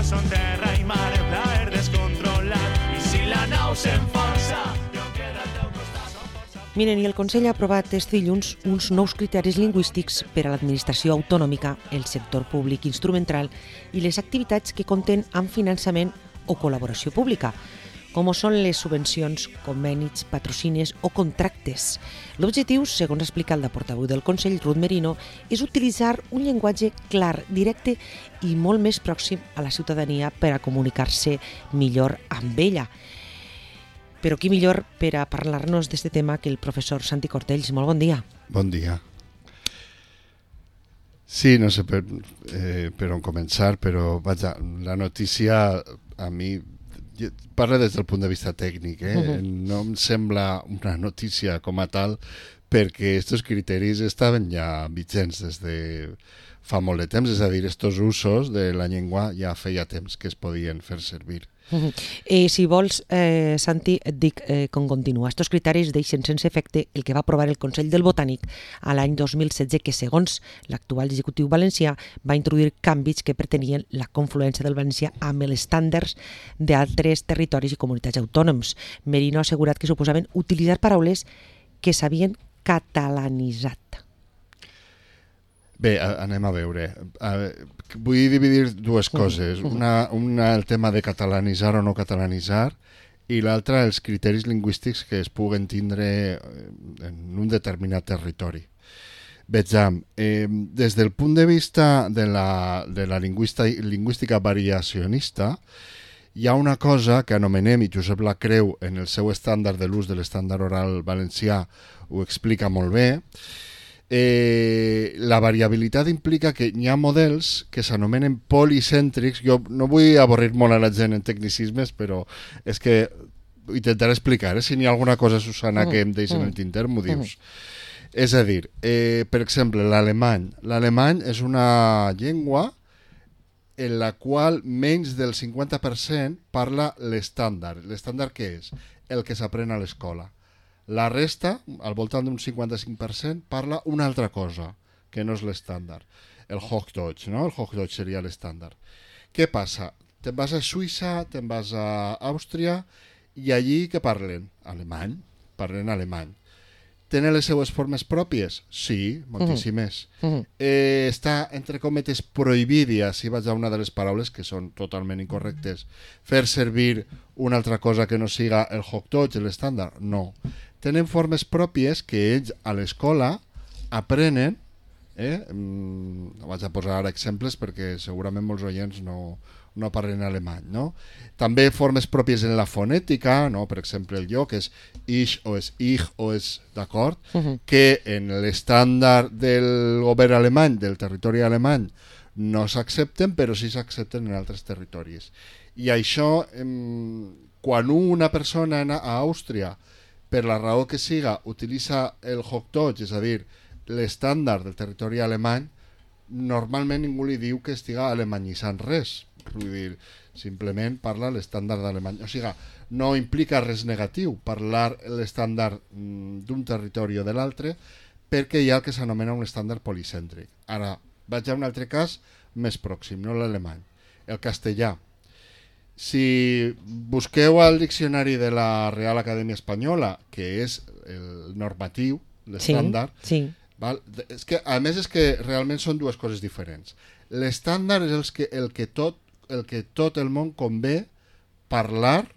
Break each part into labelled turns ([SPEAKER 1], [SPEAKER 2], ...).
[SPEAKER 1] són terra i mar, el plaer descontrolat. I si la nau s'enfonsa, jo queda al teu costat, som força.
[SPEAKER 2] Miren, i el Consell ha aprovat este dilluns uns nous criteris lingüístics per a l'administració autonòmica, el sector públic instrumental i les activitats que compten amb finançament o col·laboració pública, com són les subvencions, convenis, patrocines o contractes. L'objectiu, segons ha explicat la portaveu del Consell, Ruth Merino, és utilitzar un llenguatge clar, directe i molt més pròxim a la ciutadania per a comunicar-se millor amb ella. Però qui millor per a parlar-nos d'aquest tema que el professor Santi Cortells. Molt bon dia.
[SPEAKER 3] Bon dia. Sí, no sé per on començar, però vaja, la notícia a mi parla des del punt de vista tècnic, no em sembla una notícia com a tal perquè aquests criteris estaven ja vigents des de fa molt de temps, és a dir, aquests usos de la llengua ja feia temps que es podien fer servir.
[SPEAKER 2] Si vols, Santi, et dic com continua. Estos criteris deixen sense efecte el que va aprovar el Consell del Botànic a l'any 2016, que segons l'actual executiu valencià va introduir canvis que pretenien la confluència del valencià amb els estàndards d'altres territoris i comunitats autònoms. Merino ha assegurat que suposaven utilitzar paraules que s'havien catalanitzat.
[SPEAKER 3] Bé, anem a veure. Vull dividir dues coses. Una el tema de catalanitzar o no catalanitzar, i l'altra els criteris lingüístics que es puguen tindre en un determinat territori. Vejam, des del punt de vista de la lingüística variacionista, hi ha una cosa que anomenem, i Josep Lacreu en el seu estàndard de l'ús de l'estàndard oral valencià ho explica molt bé. La variabilitat implica que hi ha models que s'anomenen policèntrics. Jo no vull avorrir molt a la gent en tecnicismes, però és que intentaré explicar, si n'hi ha alguna cosa, Susana, que em deixen en el tinter, m'ho dius. És a dir, per exemple, l'alemany. L'alemany és una llengua en la qual menys del 50% parla l'estàndard. L'estàndard què és? El que s'aprèn a l'escola. La resta, al voltant d'un 55%, parla una altra cosa, que no és l'estàndard. El Hochdeutsch, no? El Hochdeutsch seria l'estàndard. Què passa? Te'n vas a Suïssa, te'n vas a Àustria, i allí què parlen? Alemany. Parlen alemany. Tenen les seues formes pròpies? Sí, moltíssimes. Està, entre cometes, prohibit, i així vaig a una de les paraules que són totalment incorrectes, fer servir una altra cosa que no siga el Hochdeutsch, l'estàndard? No. Tenen formes pròpies que ells a l'escola aprenen. No vaig a posar ara exemples perquè segurament molts oients no parlen alemany, no? També formes pròpies en la fonètica, no? Per exemple, el jo, que és ich o és ich o és, d'acord? Que en l'estàndard del govern alemany, del territori alemany, no s'accepten, però sí s'accepten en altres territoris. I això, quan una persona a Àustria, per la raó que siga, utilitza el Hochdeutsch, és a dir, l'estàndard del territori alemany, normalment ningú li diu que estiga alemanyitzant res. Vull dir, simplement parla l'estàndard d'alemany. O sigui, no implica res negatiu parlar l'estàndard d'un territori o de l'altre, perquè hi ha el que s'anomena un estàndard policèntric. Ara, vaig a un altre cas més pròxim, no l'alemany. El castellà. Si busqueu al diccionari de la Real Acadèmia Espanyola, que és el normatiu, l'estàndard, val? És que, a més, és que realment són dues coses diferents. L'estàndard és el que tot el món convé parlar,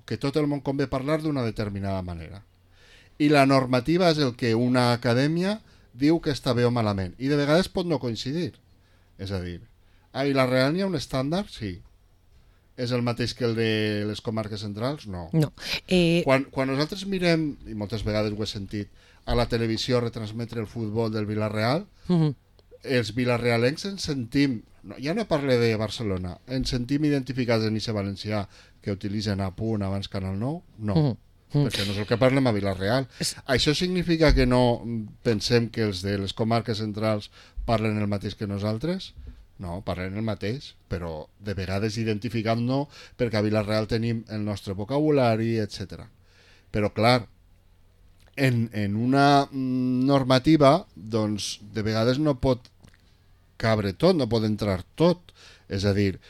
[SPEAKER 3] d'una determinada manera. I la normativa és el que una acadèmia diu que està bé o malament. I de vegades pot no coincidir. És a dir, i la Real n'hi ha un estàndard? Sí. És el mateix que el de les comarques centrals? No. Quan nosaltres mirem, i moltes vegades ho he sentit, a la televisió retransmetre el futbol del Villarreal, els vilarealencs ens sentim, ja no parle de Barcelona, ens sentim identificats en Ixe Valencià que utilitzen a punt abans Canal 9? No. Perquè no és el que parlem a Vila-real. Això significa que no pensem que els de les comarques centrals parlen el mateix que nosaltres? No, parlem el mateix, però de vegades identificant no, perquè a Vila-real tenim el nostre vocabulari, etc. Però clar, en una normativa, doncs de vegades no pot cabre tot, no pot entrar tot. És a dir,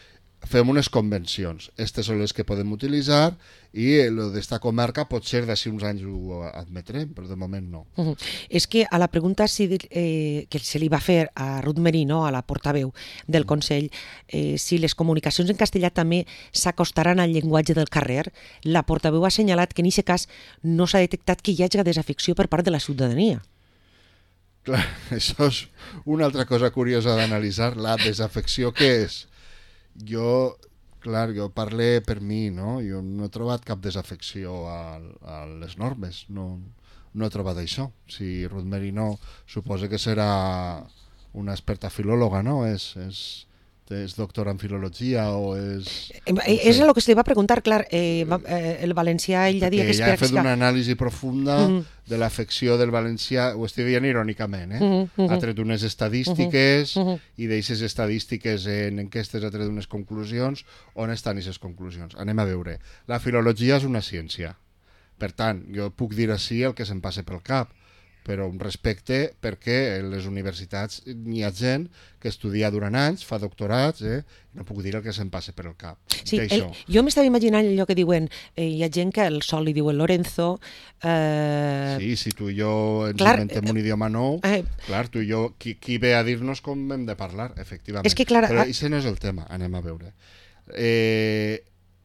[SPEAKER 3] fem unes convencions. Aquestes són les que podem utilitzar i el d'esta comarca potser d'ací uns anys ho admetrem, però de moment no.
[SPEAKER 2] És que a la pregunta que se li va fer a Ruth Merino, a la portaveu del Consell, si les comunicacions en castellà també s'acostaran al llenguatge del carrer, la portaveu ha assenyalat que en aquest cas no s'ha detectat que hi hagi desafecció per part de la ciutadania.
[SPEAKER 3] Clar, això és una altra cosa curiosa d'analitzar, la desafecció que és. Jo parlo per mi, no? Jo no he trobat cap desafecció a les normes, no he trobat això. Si Ruth Merino suposa que serà una experta filòloga, no? És doctora en filologia o és...
[SPEAKER 2] És el que se li va preguntar, clar, el valencià ell ja dia que
[SPEAKER 3] ella ha fet una anàlisi profunda de l'afecció del valencià, ho estic dient irònicament, ha tret unes estadístiques i d'aquestes estadístiques en enquestes ha tret unes conclusions. On estan aquestes conclusions? Anem a veure. La filologia és una ciència, per tant, jo puc dir així el que se'm passa pel cap, però un respecte perquè en les universitats n'hi ha gent que estudia durant anys, fa doctorats, no puc dir el que se'm passa per el cap.
[SPEAKER 2] Sí, jo m'estava imaginant allò que diuen, hi ha gent que al sol li diuen Lorenzo...
[SPEAKER 3] Sí, si tu i jo ens inventem un idioma nou, clar, tu i jo, qui ve a dir-nos com hem de parlar, efectivament.
[SPEAKER 2] És que, clar,
[SPEAKER 3] però això no és el tema, anem a veure.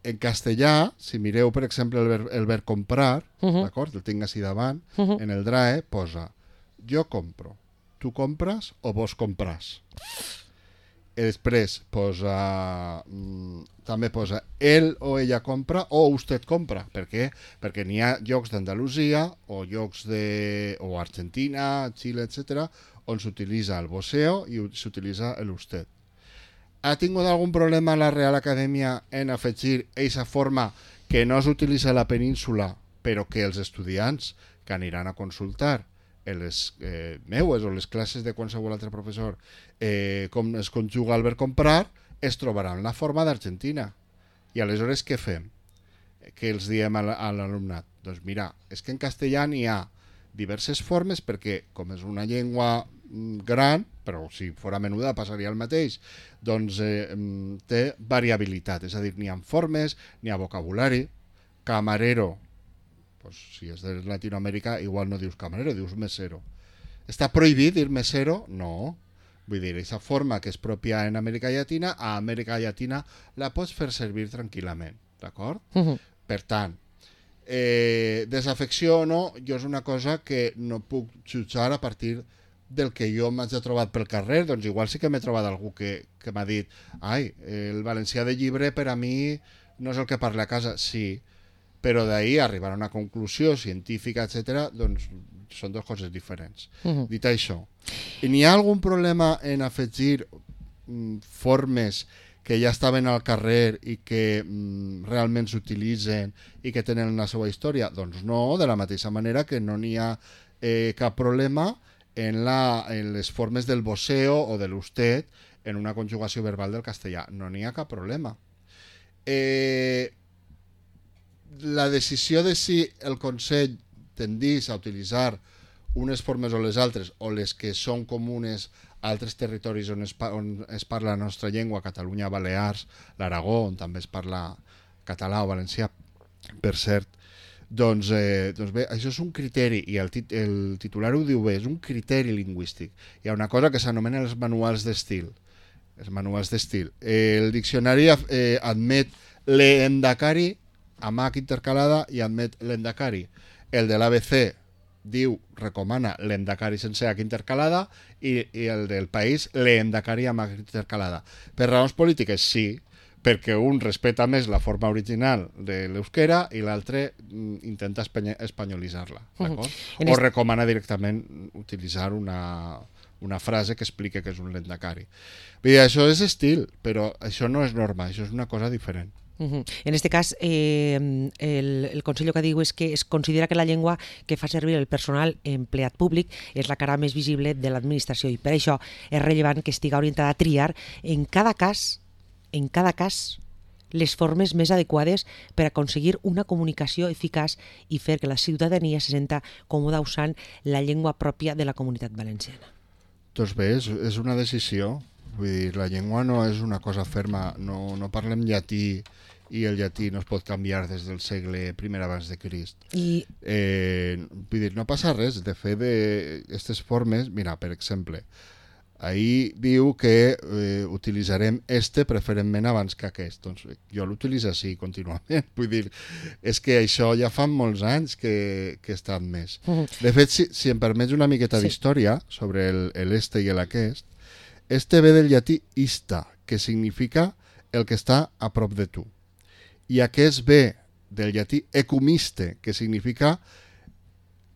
[SPEAKER 3] En castellà, si mireu, per exemple, el verb comprar, d'acord? El tinc així davant, en el DRAE posa jo compro, tu compres o vos compràs. I després també posa ell o ella compra o usted compra. Per què? Perquè n'hi ha llocs d'Andalusia o llocs o Argentina, Xile, etc., on s'utilitza el voseo i s'utilitza l'usted. Ha tingut algun problema la Real Acadèmia en afegir aquesta forma que no s'utilitza a la península, però que els estudiants que aniran a consultar en les meues o les classes de qualsevol altre professor com es conjuga el verb comprar, es trobaran la forma d'Argentina. I aleshores què fem? Què els diem a l'alumnat? Doncs mira, és que en castellà n'hi ha diverses formes perquè, com és una llengua gran, però si fora menuda passaria el mateix, doncs té variabilitat, és a dir, n'hi ha formes, n'hi ha vocabulari. Camarero, doncs, si és de Latinoamèrica, igual no dius camarero, dius mesero. Està prohibit dir mesero? No. Vull dir, aquesta forma que és pròpia en Amèrica Llatina, a Amèrica Llatina la pots fer servir tranquil·lament, d'acord? Per tant, desafecció o no, jo és una cosa que no puc jutjar a partir del que jo m'haig trobat pel carrer. Doncs igual sí que m'he trobat algú que m'ha dit el valencià de llibre per a mi no és el que parla a casa. Sí, però d'ahir arribar a una conclusió científica, etc., doncs són dues coses diferents. Dit això, n'hi ha algun problema en afegir formes que ja estaven al carrer i que realment s'utilitzen i que tenen la seva història? Doncs no, de la mateixa manera que no n'hi ha cap problema en les formes del voseo o de l'usted en una conjugació verbal del castellà. No n'hi ha cap problema. La decisió de si el Consell tendís a utilitzar unes formes o les altres, o les que són comunes a altres territoris on es parla la nostra llengua, Catalunya, Balears, l'Aragó, on també es parla català o valencià, per cert, doncs bé, això és un criteri, i el titular ho diu bé, és un criteri lingüístic. Hi ha una cosa que s'anomena els manuals d'estil. El diccionari admet l'endacari amb H intercalada i admet l'endacari. El de l'ABC recomana l'endacari sense H intercalada i el del País l'endacari amb H intercalada. Per raons polítiques, sí, perquè un respeta més la forma original de l'euskera i l'altre intenta espanyolitzar-la, d'acord? O recomana directament utilitzar una frase que explica que és un lendakari. Bé, això és estil, però això no és norma, això és una cosa diferent.
[SPEAKER 2] En este cas, el Consell que diu és que es considera que la llengua que fa servir el personal empleat públic és la cara més visible de l'administració i per això és rellevant que estigui orientada a triar en cada cas les formes més adequades per aconseguir una comunicació eficaç i fer que la ciutadania se senta còmoda usant la llengua pròpia de la Comunitat Valenciana.
[SPEAKER 3] Doncs bé, és una decisió. Vull dir, la llengua no és una cosa ferma, no parlem llatí i el llatí no es pot canviar des del segle I abans de Crist. Vull dir, no passa res. De fet, aquestes formes, mira, per exemple, ahir diu que utilitzarem preferentment abans que aquest. Doncs jo l'utilitzo així contínuament. Vull dir, és que això ja fa molts anys que està admès. De fet, si em permets una miqueta d'història sobre l'este i aquest, ve del llatí ista, que significa el que està a prop de tu. I aquest ve del llatí ecumiste, que significa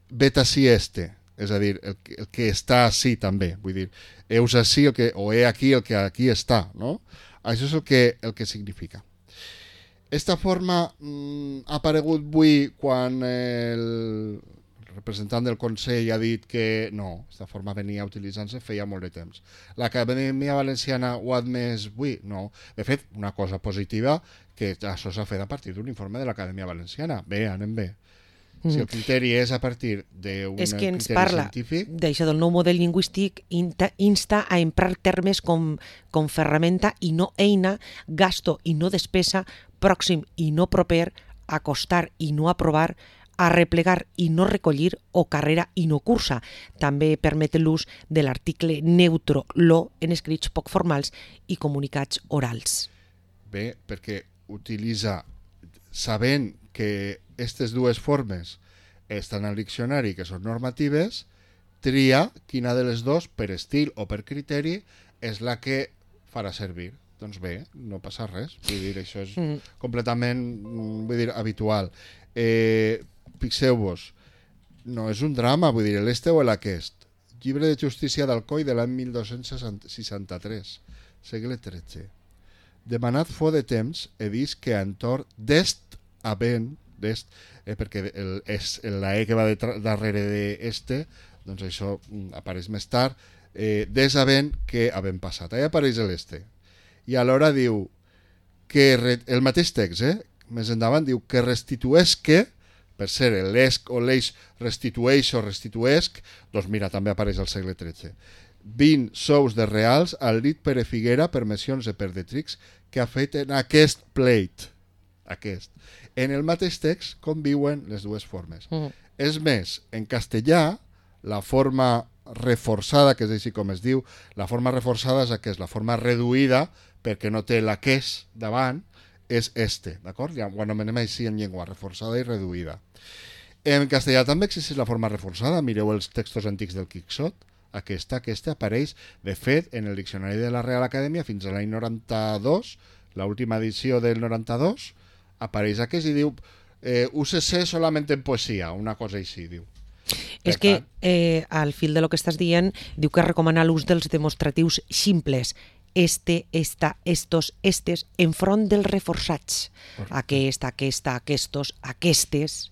[SPEAKER 3] vet ací este, és a dir, el que està ací també. Vull dir, heus ací o he aquí el que aquí està, no? Això és el que significa. Esta forma ha aparegut avui quan el representant del Consell ha dit que no, aquesta forma venia utilitzant-se feia molt de temps. L'Acadèmia Valenciana ho ha admès avui? No. De fet, una cosa positiva, que això s'ha fet a partir d'un informe de l'Acadèmia Valenciana. Bé, anem bé. Si el criteri és a partir d'un criteri científic...
[SPEAKER 2] És que ens parla d'això del nou model lingüístic, insta a emprar termes com ferramenta i no eina, gasto i no despesa, pròxim i no proper, acostar i no aprovar, arreplegar i no recollir o carrera i no cursa. També permet l'ús de l'article neutro lo en escrits poc formals i comunicats orals.
[SPEAKER 3] Bé, perquè utilitza, sabent que aquestes dues formes estan al diccionari, que són normatives, tria quina de les dues, per estil o per criteri, és la que farà servir. Doncs bé, no passa res. Vull dir, això és completament habitual. Fixeu-vos, no és un drama, vull dir, l'este o l'aquest. Llibre de Justícia d'Alcoi de l'any 1263, segle XIII. Demanat fo de temps, he vist que entorn d'est havent, perquè la E que va darrere d'este, doncs això apareix més tard, des havent que havent passat. Allà apareix l'este. I alhora diu que el mateix text, més endavant, diu que restituesque, per ser l'esc o l'eix restitueix o restituesc, doncs mira, també apareix al segle XIII. 20 sous de reals al dit Pere Figuera per mencions de Perdetrix que ha fet en aquest pleit. Aquest. En el mateix text conviuen les dues formes. És més, en castellà, la forma reforçada, que és així com es diu, la forma reforçada és aquesta, la forma reduïda, perquè no té l'aquest davant, és este, d'acord? Ja ho anomenem així en llengua, reforçada i reduïda. En castellà també existeix la forma reforçada, mireu els textos antics del Quixot, aquesta apareix, de fet, en el diccionari de la Real Acadèmia fins a l'any 92, l'última edició del 92, apareix aquest i diu úsese solament en poesia, una cosa així, diu.
[SPEAKER 2] És que al fil de lo que estàs dient, diu que recomana l'ús dels demostratius simples, este, esta, estos, estes, enfront dels reforçats. Aquest, aquesta, aquestos, aquestes.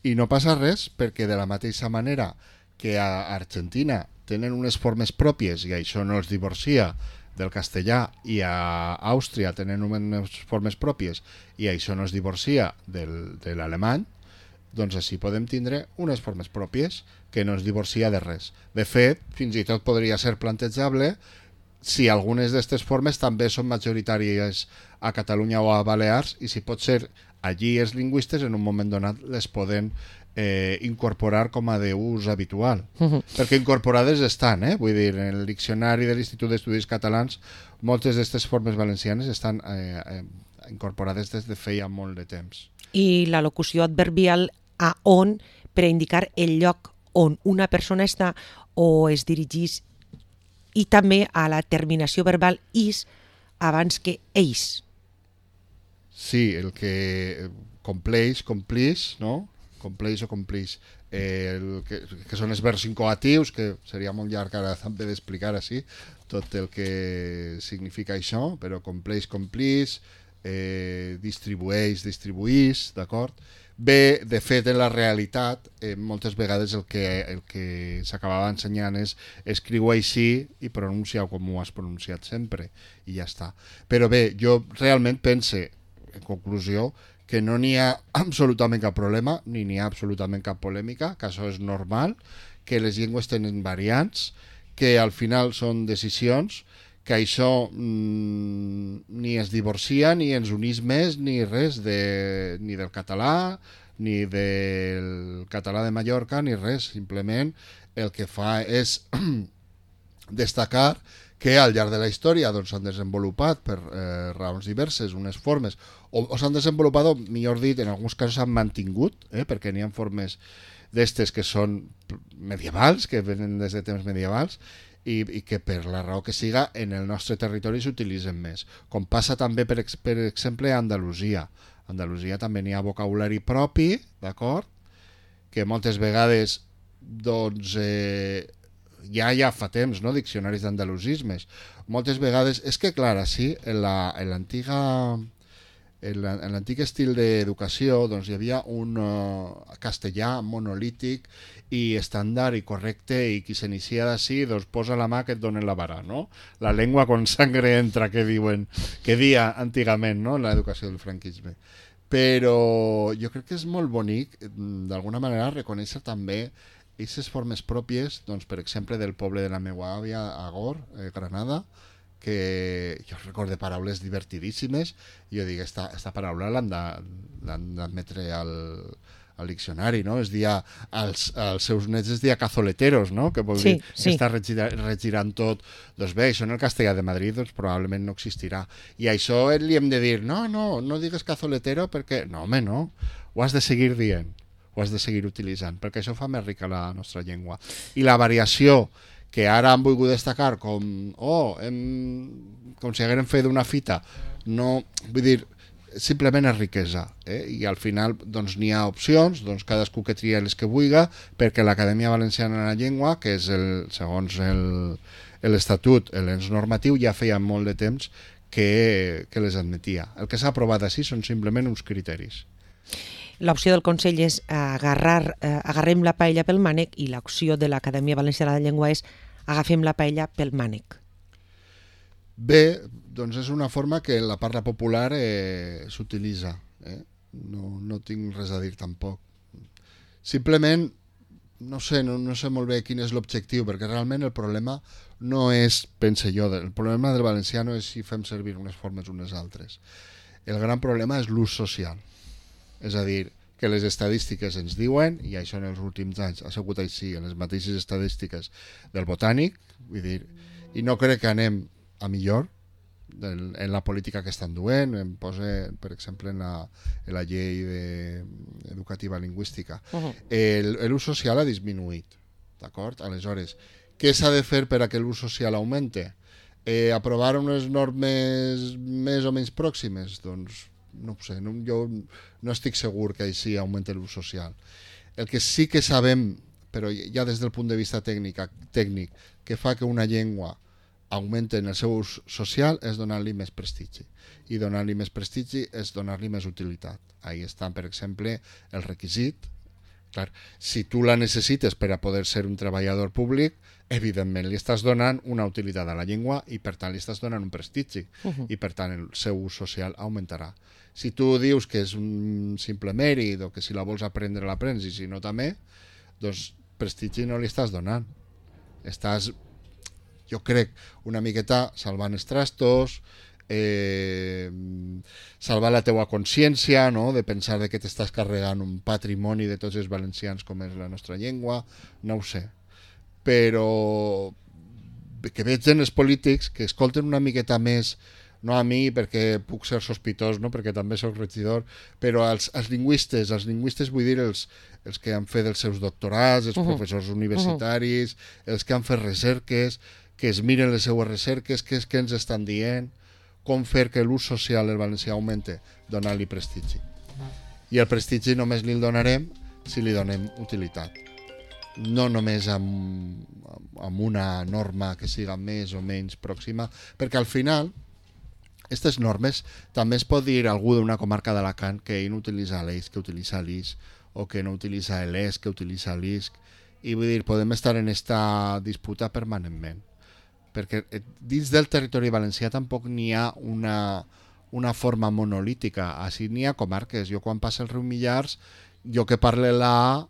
[SPEAKER 3] I no passa res perquè de la mateixa manera que a Argentina tenen unes formes pròpies i això no els divorcia del castellà, i a Àustria tenen unes formes pròpies i això no es divorcia de l'alemany, doncs així podem tindre unes formes pròpies que no es divorcia de res. De fet, fins i tot podria ser plantejable si algunes d'aquestes formes també són majoritàries a Catalunya o a Balears, i si pot ser allí els lingüistes en un moment donat les poden incorporar com a d'ús habitual. Perquè incorporades estan, vull dir, en el diccionari de l'Institut d'Estudis Catalans moltes d'aquestes formes valencianes estan incorporades des de feia molt de temps.
[SPEAKER 2] I la locució adverbial a on per a indicar el lloc on una persona està o es dirigís, i també a la terminació verbal is abans que ells.
[SPEAKER 3] Sí, el que compleix, no? Compleix o complix, que són els verbs incoatius, que seria molt llarg ara també d'explicar així tot el que significa això, però compleix, complix, distribueix, distribuís, d'acord? Bé, de fet, en la realitat, moltes vegades el que s'acabava ensenyant és escriu així i pronuncia com ho has pronunciat sempre, i ja està. Però bé, jo realment pense, en conclusió, que no n'hi ha absolutament cap problema, ni n'hi ha absolutament cap polèmica, que això és normal, que les llengües tenen variants, que al final són decisions que això ni es divorcia ni ens unís més ni res ni del català ni del català de Mallorca ni res, simplement el que fa és destacar que al llarg de la història doncs, s'han desenvolupat per raons diverses unes formes, o s'han desenvolupat, o millor dit, en alguns casos s'han mantingut, perquè n'hi ha formes d'estes que són medievals, que venen des de temps medievals, i que per la raó que siga en el nostre territori s'utilitzen més, com passa també per exemple a Andalusia. A Andalusia també n'hi ha vocabulari propi, d'acord, que moltes vegades doncs ja fa temps, no? Diccionaris d'andalusismes, moltes vegades és que clar, sí, en l'antic estil d'educació doncs, hi havia un castellà monolític i estàndard i correcte, i qui s'inicia d'ací doncs posa la mà que et donen la vara, no? La llengua con sangre entra, que diuen, que dia antigament, no? En l'educació del franquisme. Però jo crec que és molt bonic d'alguna manera reconèixer també aquestes formes pròpies, doncs, per exemple, del poble de la meva àvia, Agor, Granada, que jo recordo paraules divertidíssimes, i jo dic, esta paraula l'han d'admetre al diccionari, no? Es dia, als seus nets es dia cazoleteros, no? Que vol dir que està regirant tot. Doncs bé, això en el castellà de Madrid doncs, probablement no existirà. I això li hem de dir, no digues cazoletero perquè... No, home, no. Ho has de seguir dient, ho has de seguir utilitzant, perquè això fa més rica la nostra llengua. I la variació que ara han volgut destacar com si haguérem fet una fita, no, vull dir, simplement és riquesa, i al final doncs n'hi ha opcions, doncs cadascú que tria les que vulga, perquè l'Acadèmia Valenciana de la Llengua, que és segons l'Estatut, l'ens normatiu, ja feia molt de temps que les admetia. El que s'ha aprovat així són simplement uns criteris.
[SPEAKER 2] L'opció del Consell és agarrem la paella pel mànec, i l'opció de l'Acadèmia Valenciana de la Llengua és agafem la paella pel mànec.
[SPEAKER 3] Bé, doncs és una forma que en la parla popular s'utilitza. No tinc res a dir tampoc. Simplement, no sé molt bé quin és l'objectiu, perquè realment el problema no és, pense jo, el problema del valencià no és si fem servir unes formes o unes altres. El gran problema és l'ús social. És a dir, que les estadístiques ens diuen, i això en els últims anys ha sigut així, en les mateixes estadístiques del Botànic, vull dir, i no crec que anem a millor en la política que estan duent. Em posa, per exemple, en la llei educativa lingüística. L'ús social ha disminuït, d'acord? Aleshores, què s'ha de fer per a que l'ús social augmente? Aprovar unes normes més o menys pròximes? Doncs no ho sé, jo no estic segur que així augmenti l'ús social. El que sí que sabem, però ja des del punt de vista tècnic, que fa que una llengua augmenta en el seu ús social és donar-li més prestigi. I donar-li més prestigi és donar-li més utilitat. Ahí està, per exemple, el requisit. Clar, si tu la necessites per a poder ser un treballador públic, evidentment li estàs donant una utilitat a la llengua i per tant li estàs donant un prestigi, i per tant el seu ús social augmentarà. Si tu dius que és un simple mèrit o que si la vols aprendre l'aprens i si no també, doncs prestigi no li estàs donant. Estàs, jo crec, una miqueta salvant els trastos, salvar la teua consciència, no? De pensar que t'estàs carregant un patrimoni de tots els valencians com és la nostra llengua, no ho sé. Però que veig en els polítics que escolten una miqueta més, no a mi perquè puc ser sospitós, no? Perquè també soc regidor, però els lingüistes vull dir els que han fet els seus doctorats, els professors universitaris, els que han fet recerques, que es miren les seues recerques, què és que ens estan dient, com fer que l'ús social del valencià augmente, donar-li prestigi. I el prestigi només li el donarem si li donem utilitat. No només amb una norma que siga més o menys pròxima, perquè al final aquestes normes també es pot dir algú d'una comarca d'Alacant que ell no utilitza l'eix que utilitza l'IS, o que no utilitza l'ES que utilitza l'ISC, i vull dir, podem estar en esta disputa permanentment, perquè dins del territori valencià tampoc n'hi ha una forma monolítica. Així n'hi ha comarques. Jo quan passa el riu Millars, jo que parle la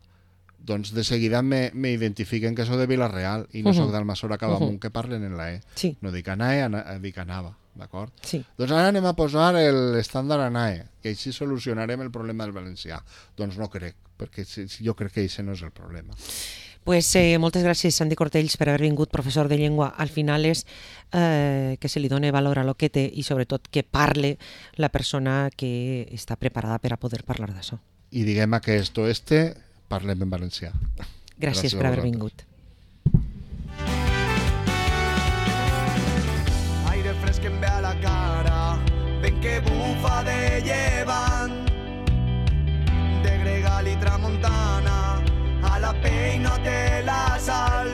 [SPEAKER 3] doncs de seguida m'identifiquen que soc de Vila-real i no soc d'Almassora Cabamunt, que parlen en la E.
[SPEAKER 2] Sí.
[SPEAKER 3] No dic ANAE, dic ANAVA, d'acord?
[SPEAKER 2] Sí.
[SPEAKER 3] Doncs ara anem a posar l'estàndard ANAE, que així solucionarem el problema del valencià. Doncs no crec, perquè jo crec que això no és el problema.
[SPEAKER 2] Pues, moltes gràcies, Santi Cortells, per haver vingut, professor de llengua. Al final és que se li doni valor a lo que té i sobretot que parle la persona que està preparada per a poder parlar d'això.
[SPEAKER 3] I diguem que parlem en valencià.
[SPEAKER 2] Gràcies per haver vingut.
[SPEAKER 1] Aire fresc em ve a la cara, vent que bufa de llevant, de gregal i tramuntana, a la pell no té la sal.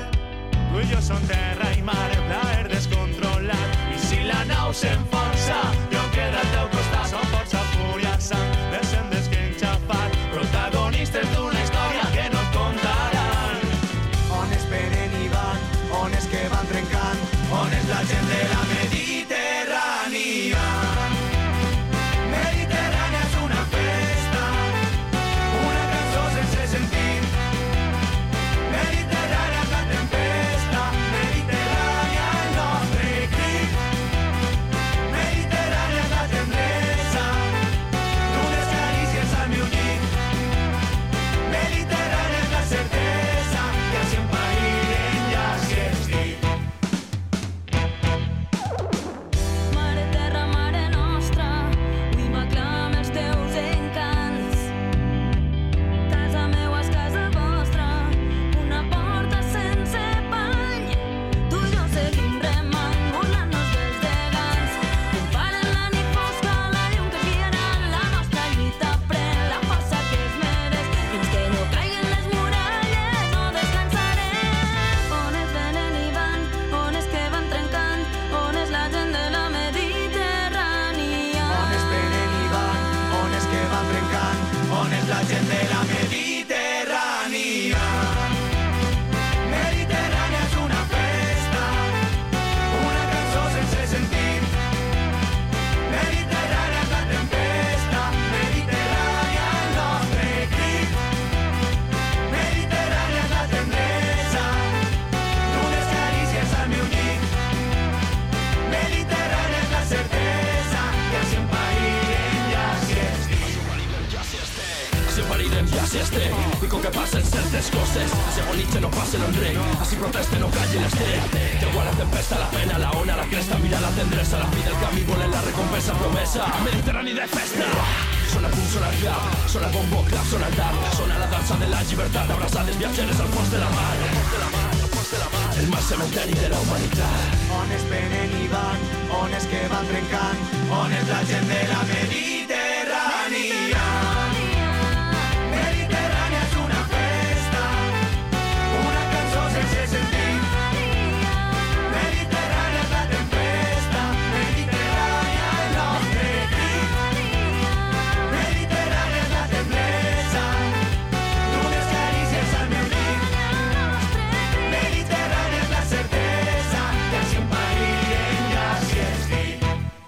[SPEAKER 1] Tu i jo som terra i mar, plaer descontrolat, i si la nau s'enfonsa, jo quedo al teu costat. Som força, fúria, sang, descendents que enxafat, protagonistes d'una història que no et contaran. On es venen i van, on és que van trencant, on és la gent de la Mediterrània. Mediterrània és una festa, una cançó sense sentit. Mediterrània és la tempesta, Mediterrània el nostre crit. Mediterrània és la tendresa d'unes carícies al meu llit. Mediterrània és la certesa que si em parirem ja s'hi estic.
[SPEAKER 4] Mare terra, mare nostra, avui m'aclama els teus encants. Casa meua és casa vostra, una porta sense pany. Tu i jo seguim remant, burlant-nos dels gegants. Comparen la nit fosca, la llum que guiarà la nostra lluita, pren la força que es mereix. Fins que no caiguen les muralles, no descansarem. On es venen i van, on és que van trencant, on és la gent de la Mediterrània.
[SPEAKER 1] On es venen i van, on és que van trencant, on és la gent de la Mediterrània. Mediterrània és una festa, una cançó sense sentit. Mediterrània és la tempesta, Mediterrània el nostre crit. Mediterrània és la tendresa d'unes carícies al meu llit. Mediterrània és la certesa que si em parirem ja s'hi estic.
[SPEAKER 5] Si parirem ja si estem, dico que passen certes coses, si agonitze no passen en rei, si proteste no calli l'estrell. Llegó la tempesta, la pena, la ona, la cresta, mira la tendresa, la fi del camí, volen la recompensa promesa. Mediterrani de festa, sona el punt, sona el clap, sona el bombo, clap, sona el tap, sona la dansa de la llibertat, abraçades viatgeres al fons de la mar, el mar cementeri de la humanitat.
[SPEAKER 1] On es venen i van, on és que van trencant, on és la gent